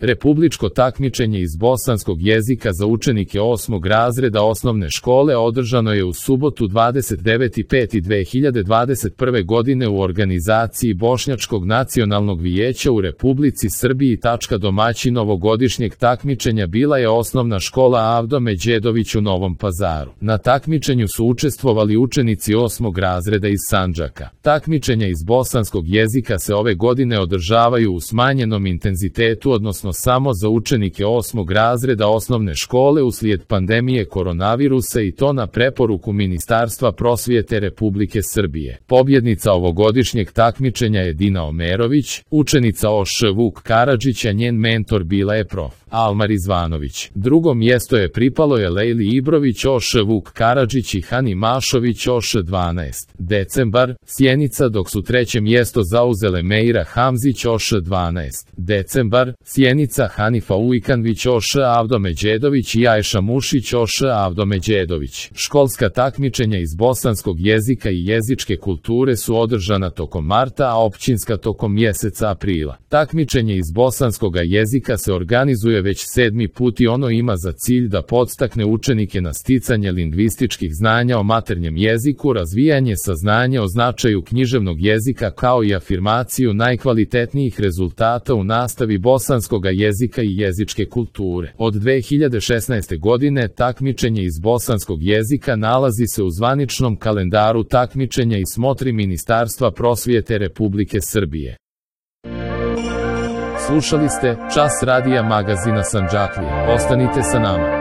Republičko takmičenje iz bosanskog jezika za učenike 8. razreda osnovne škole održano je u subotu 29.5.2021. godine u organizaciji Bošnjačkog nacionalnog vijeća u Republici Srbiji. Domaćin ovogodišnjeg takmičenja bila je osnovna škola Avdo Međedović u Novom Pazaru. Na takmičenju su učestvovali učenici 8. razreda iz Sandžaka. Takmičenja iz bosanskog jezika se ove godine održavaju u smanjenom intenzitetu, odnosno samo za učenike 8. razreda osnovne škole uslijed pandemije koronavirusa, i to na preporuku Ministarstva prosvjete Republike Srbije. Pobjednica ovogodišnjeg takmičenja je Dina Omerović, učenica OŠ Vuk Karadžić, a njen mentor bila je prof. Almar Izvanović. Drugo mjesto je pripalo je Lejli Ibrović OŠ Vuk Karadžić i Hani Mašović OŠ 12. decembar, Sjenica, dok su treće mjesto zauzele Meira Hamzić OŠ 12. decembar, Sjenica, Hanifa Ujkanvić OŠ Avdo Međedović i Ajša Mušić OŠ Avdo Međedović. Školska takmičenja iz bosanskog jezika i jezičke kulture su održana tokom marta, a općinska tokom mjeseca aprila. Takmičenje iz bosanskog jezika se organizuje već 7. put i ono ima za cilj da podstakne učenike na sticanje lingvističkih znanja o maternjem jeziku, razvijanje saznanja o značaju književnog jezika, kao i afirmaciju najkvalitetnijih rezultata u nastavi bosanskog jezika i jezičke kulture. Od 2016. godine takmičenje iz bosanskog jezika nalazi se u zvaničnom kalendaru takmičenja i smotri Ministarstva prosvjete Republike Srbije. Slušali ste Čas radija magazina Sandžaklija. Ostanite sa nama.